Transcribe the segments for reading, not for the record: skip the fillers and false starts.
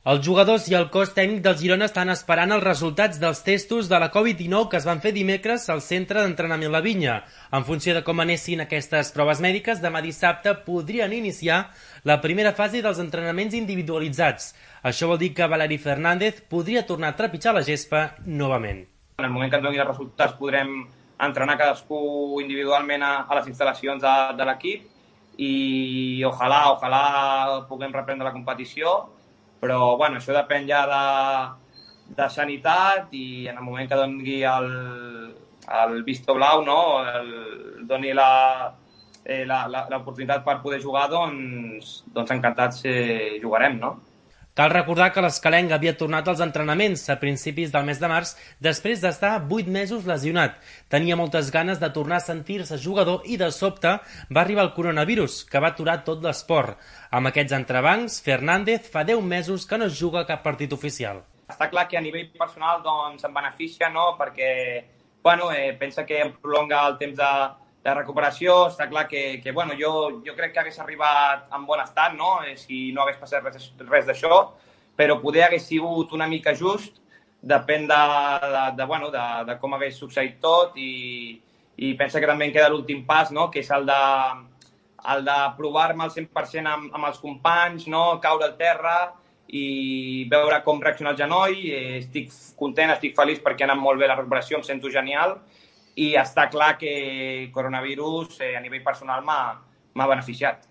Els jugadors i el cos tècnic del Girona estan esperant els resultats dels testos de la Covid-19 que es van fer dimecres al centre d'entrenament La Vinya. En funció de com anessin aquestes proves mèdiques, demà dissabte podrien iniciar la primera fase dels entrenaments individualitzats. Això vol dir que Valeri Fernández podria tornar a trepitjar la gespa novament. En el moment que ens donin els resultats podrem entrenar cadascú individualment a les instal·lacions de l'equip i ojalà puguem reprendre la competició. Però bueno, això depèn ja de sanitat i en el moment que doni el visto blau, no? Doni l'oportunitat per poder jugar, doncs encantats jugarem, no? Cal recordar que l'Escalenc havia tornat als entrenaments a principis del mes de març després d'estar 8 mesos lesionat. Tenia moltes ganes de tornar a sentir-se jugador i de sobte va arribar el coronavirus, que va aturar tot l'esport. Amb aquests entrebancs, Fernández fa 10 mesos que no juga cap partit oficial. Està clar que a nivell personal doncs, em beneficia, no? Perquè pensa que em prolonga el temps de recuperació. Està clar que jo crec que hagués arribat en bon estat, no? Si no hagués passat res d'això, però poder hagués sigut una mica just, depèn de com hagués succeït tot i pensa que també em queda l'últim pas, no? Que és el de provar-me al 100% amb els companys, no? Caure al terra i veure com reacciona el genoll. Estic content, estic feliç perquè ha anat molt bé la recuperació, em sento genial. I està clar que coronavirus a nivell personal m'ha beneficiat.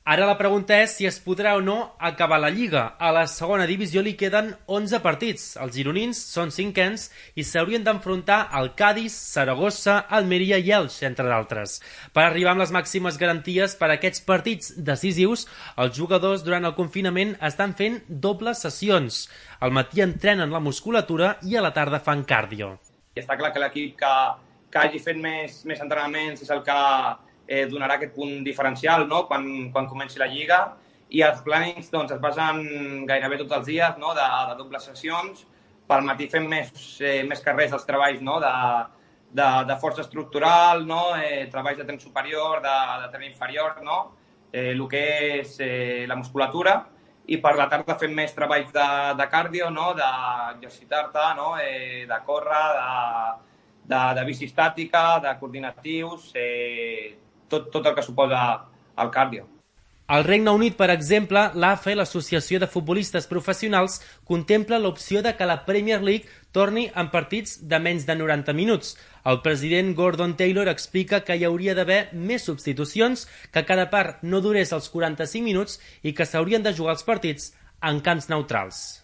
Ara la pregunta és si es podrà o no acabar la Lliga. A la segona divisió li queden 11 partits. Els gironins són cinquens i s'haurien d'enfrontar al Cádiz, Saragossa, Almeria i Elx, entre d'altres. Per arribar amb les màximes garanties per a aquests partits decisius, els jugadors durant el confinament estan fent dobles sessions. Al matí entrenen la musculatura i a la tarda fan cardio. I està clar que l'equip que hagi fet més entrenaments és el que donarà aquest punt diferencial, no? Quan comenci la Lliga. I els plànings doncs, es basen gairebé tots els dies, no? de dobles sessions. Pel matí fem més carrers els treballs, no? de força estructural, no? Treballs de tren superior, de tren inferior, no? El que és la musculatura. I per la tarda fem més treballs de cardio, no? D'exercitar-te, no? De córrer, de bici estàtica, de coordinatius, tot el que suposa el cardio. Al Regne Unit, per exemple, l'AFE, l'Associació de Futbolistes Professionals, contempla l'opció de que la Premier League torni en partits de menys de 90 minuts. El president Gordon Taylor explica que hi hauria d'haver més substitucions, que cada part no durés els 45 minuts i que s'haurien de jugar els partits en camps neutrals.